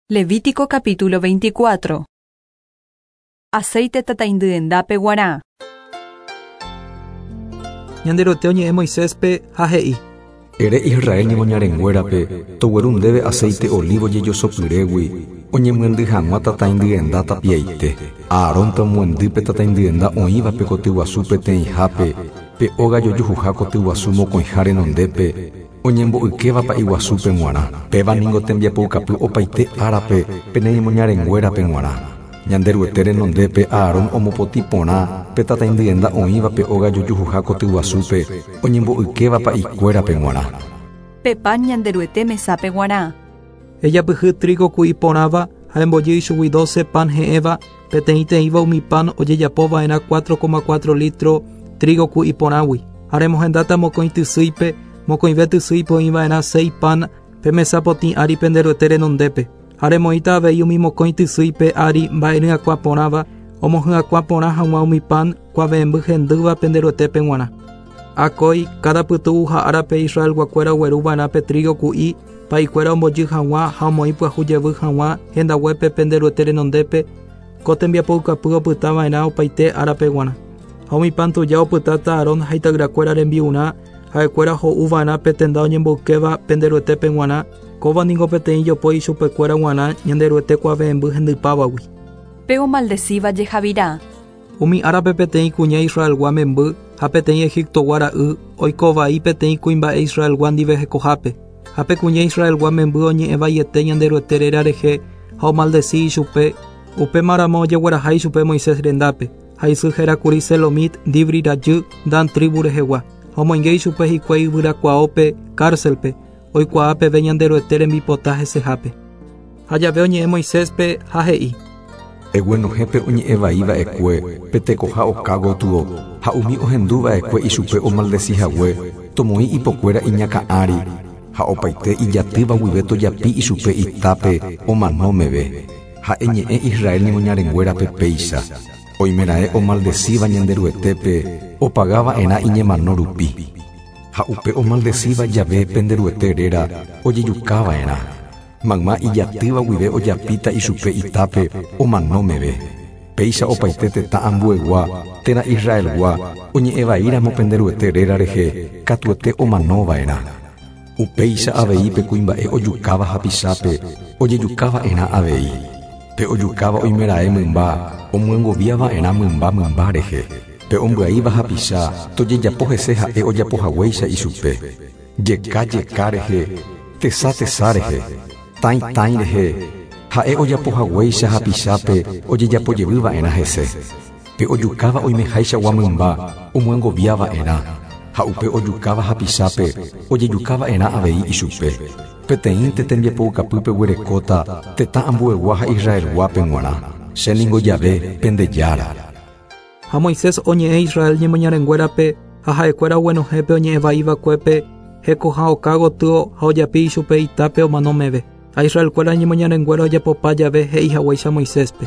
Levítico capítulo 24. Aceite tataindyenda guarã. Ñanderuete oñe'ẽ Moiséspe ha he'i. Ere Israel ñemoñarenguérape, togueru ndéve aceite olívo jejosopyrégui, oñemyendy hag̃ua tataindyenda tapiaite. Aarón tomoendy pe tataindyenda oĩva pe kotyguasu peteĩhápe, pe óga jojuhuha kotyguasu mokõiha renondépe, oñembo'ykéva pa'iguasúpe g̃uarã. Péva ningo tembiapoukapy opaite árape pene ñemoñarenguérape g̃uarã. Ñanderuete renondépe Aarón omopotĩ porã pe tataindyenda oĩva pe óga jojuhuha kotyguasúpe, oñembo'ykéva pa'ikuérape g̃uarã. Pe pan Ñanderuete mesápe guarã. Ejapyhy trigo ku'i porãva ha embojy ichugui doce pan he'ẽva, peteĩteĩva umi pan ojejapova'erã 4,4 litro trigo ku'i porãgui. Ha remohendáta mokõi tysýipe, mokõive tysýipe oĩva'erã seis pan pe mesa potĩ ári pende Ruete renondépe. Ha remoĩta avei umi mokõi tysýipe ári mba'e ryakuã porãva, omohyakuã porã hag̃ua umi pan kuave'ẽmby hendýva pende Ruetépe g̃uarã. Akói, káda pytu'uha árape Israelguakuéra ogueruva'erã pe trigo ku'i, pa'ikuéra ombojy hag̃ua ha omoĩ pyahu jevy hag̃ua hendaguépe pende Ruete renondépe, ko tembiapoukapy opytava'erã opaite árape g̃uarã. Ha umi pan tuja opytáta Aarón ha ita'yrakuéra rembi'urã, ha'ekuéra ho'uva'erã pe tenda oñemboykéva pende Ruetépe g̃uarã, kóva ningo peteĩ jopói ichupekuéra g̃uarã Ñanderuete kuave'ẽmby hendypávagui. Pe omaldecíva jehavira. Umi árape peteĩ kuña Israelgua memby ha peteĩ Egiptogua ra'y oiko vai peteĩ kuimba'e Israelgua ndive hekohápe. Ha pe kuña Israelgua memby oñe'ẽ vaiete Ñanderuete réra rehe ha omaldeci ichupe, upémaramo ojegueraha ichupe Moisés rendápe. Ha isy hérakuri Selomit, Dibri rajy, Dan trívu rehegua. Ha omoinge ichupe hikuái yvyrakuaópe, cárcelpe, oikuaa peve Ñanderuete rembipota hesehápe. Ha jave oñe'ẽ Moiséspe ha he'i. Eguenohẽ pe oñe'ẽ vai va'ekue pe tekoha oka gotyo, ha umi ohendu va'ekue ichupe omaldeci hague, tomoĩ ipokuéra iñakã ári, ha opaite ijatýva guive tojapi ichupe itápe omano meve. Ha eñe'ẽ Israel ñemoñarenguérape péicha, Oimeraẽ omaldecíva Ñanderuetépe opaga va'erã iñemano rupi. Ha upe omaldecíva jave pende Ruete réra ojejuka va'erã. Mayma ijatýva guive ojapíta ichupe itápe omano meve. Péicha opaite tetã ambuegua térã Israelgua oñe'ẽ vaíramo pende Ruete réra rehe katuete omano va'erã. Upéicha avei pe kuimba'e ojukáva hapichápe ojejuka va'erã avei. Pe ojukáva oimeraẽ mymba omyengovia va'erã mymba mymba rehe. Pe ombyaíva hapicha tojejapo hese ha'e ojapo haguéicha ichupe. Jeka jeka rehe, tesa tesa rehe, tãi tãi rehe, ha'e ojapo haguéicha hapichápe ojejapo jevy va'erã hese. Pe ojukáva oimeháichagua mymba omyengovia va'erã, ha upe ojukáva hapichápe ojejuka va'erã avei ichupe. Peteĩnte tembiapoukapy peguerekóta tetã ambuegua ha Israelguápe g̃uarã, che ningo Jahve, pende Jára. Ha Moisés oñe'ẽ Israel ñemoñarenguérape, ha ha'ekuéra oguenohẽ pe oñe'ẽ vai va'ekuépe hekoha oka gotyo ha ojapi ichupe itápe omano meve. Ha Israelkuéra ñemoñarenguéra ojapopa jave he'i haguéicha Moiséspe.